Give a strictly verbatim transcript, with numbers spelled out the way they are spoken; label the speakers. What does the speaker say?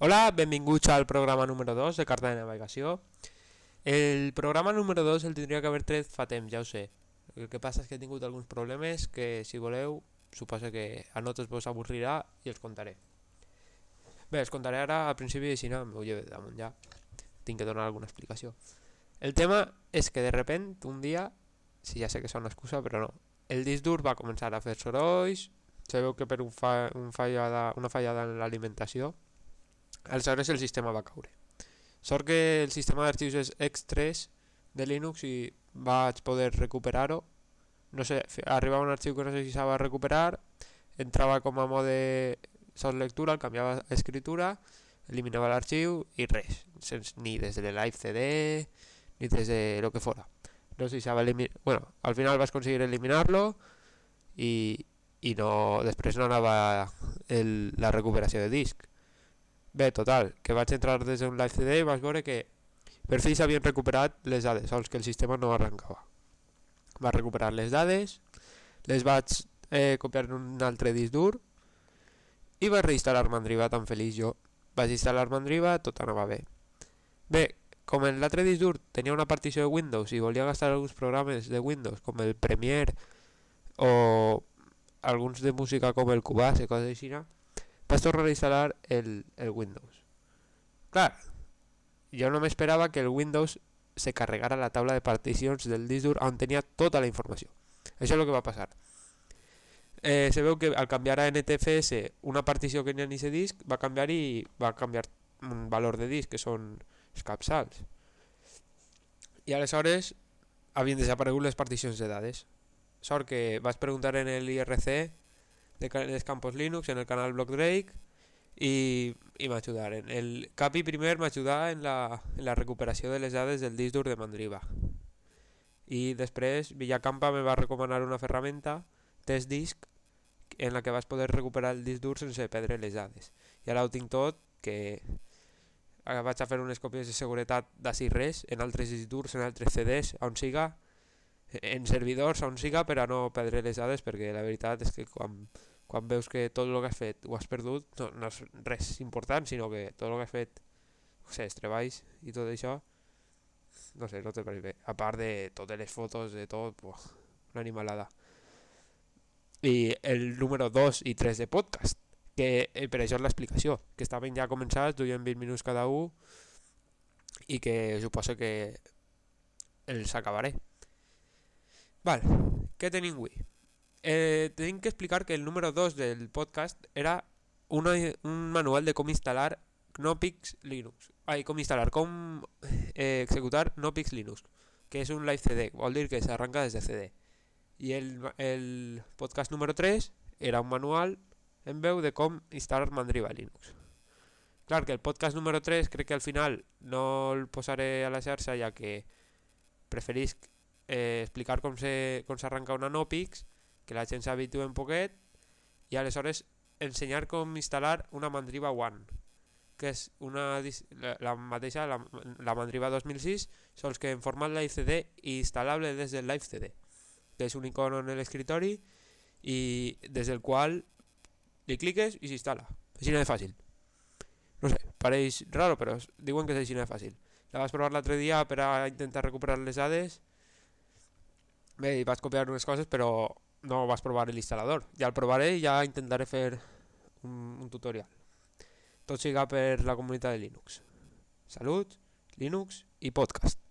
Speaker 1: Hola, benvinguts al programa número dos de Carta de Navegació. El programa número dos el tindria que haver tret fa temps, ja ho sé. El que passa és que he tingut alguns problemes que, si voleu, suposo que a nosaltres vos avorrirà i els contaré. Bé, els contaré ara al principi i si no, m'ho llevo damunt ja. Tinc que donar alguna explicació. El tema és que de repent, un dia, si ja sé que és una excusa, però no, el disc dur va començar a fer sorolls, se veu que per un fa, un fallada, una fallada en l'alimentació, aleshores el sistema va caure. Sort que el sistema d'arxius és X tres de Linux i vaig poder recuperar-ho. No sé, arribava un arxiu que no sé si s'ha de recuperar, entrava com a mode sols lectura, el canviava a escritura, eliminava l'arxiu i res, sense, ni des de live C D ni des de lo que fora. No sé si s'ha eliminar, bueno, al final vas aconseguir eliminar-lo i, i no, després no anava el, la recuperació de disc. Bé, total, que vaig entrar des d'un live C D i vaig veure que per fi s'havien recuperat les dades, sols que el sistema no arrencava. Va recuperar les dades, les vaig eh, copiar en un altre disc dur i vaig reinstal·lar Mandriva, tan feliç jo. Vaig instal·lar Mandriva, tot anava bé. Bé, com en l'altre disc dur tenia una partició de Windows i volia gastar alguns programes de Windows com el Premiere o alguns de música com el Cubase, coses així, vaig tornar a instal·lar el, el Windows. Clar, jo no m'esperava que el Windows se carregara la taula de particions del disc dur on tenia tota la informació. Això és el que va passar. Eh, se veu que al canviar a N T F S una partició que n'hi ha en aquest disc va canviar i va canviar un valor de disc que són els capçals. I aleshores havien desaparegut les particions de dades. Sort que vaig preguntar en el I R C de dels campos Linux en el canal Block Drake i, i m'ajudaren. El Capi primer m'ajudà en la, en la recuperació de les dades del disc dur de Mandriva i després Villacampa me va recomanar una ferramenta Test Disk en la que vas poder recuperar el disc dur sense perdre les dades i ara ho tinc tot, que vaig a fer unes còpies de seguretat d'ací res en altres disc durs, en altres C Ds on siga, en servidors on siga, per a no perdre les dades, perquè la veritat és que quan, quan veus que tot el que has fet ho has perdut, no, no és res important, sinó que tot el que has fet, no sé, els treballs i tot això, no sé, no te pareix bé. A part de totes les fotos, de tot, buah, una animalada. I el número dos i tres de podcast, que eh, per això és l'explicació, que estaven ja començats, duien vint minuts cada un, i que suposo que els acabaré. Val, què tenim avui? Eh, tenim que explicar que el número dos del podcast era una, un manual de com instal·lar Knoppix Linux. Ai, com instal·lar, com eh, executar Knoppix Linux, que és un live C D, vol dir que s'arranca des de C D. I el, el podcast número tres era un manual en veu de com instal·lar Mandriva Linux. Clar que el podcast número tres crec que al final no el posaré a la xarxa, ja que preferisc Eh, explicar com se com s'arranca una Knoppix, que la gent s'habitue un poquet, i aleshores ensenyar com instal·lar una Mandriva One, que és una, la, la mateixa, la, la Mandriva dos mil sis, sols que en format live C D i instal·lable des del live C D, que és un icono en l'escritori i des del qual li cliques i s'instal·la. Així no és fàcil. No sé, pareix raro, però diuen que és així no és fàcil. La vaig provar l'altre dia per a intentar recuperar les dades. Bé, vaig copiar unes coses, però no vaig provar l'instal·lador. Ja el provaré i ja intentaré fer un, un tutorial. Tot siga per la comunitat de Linux. Salut, Linux i podcast.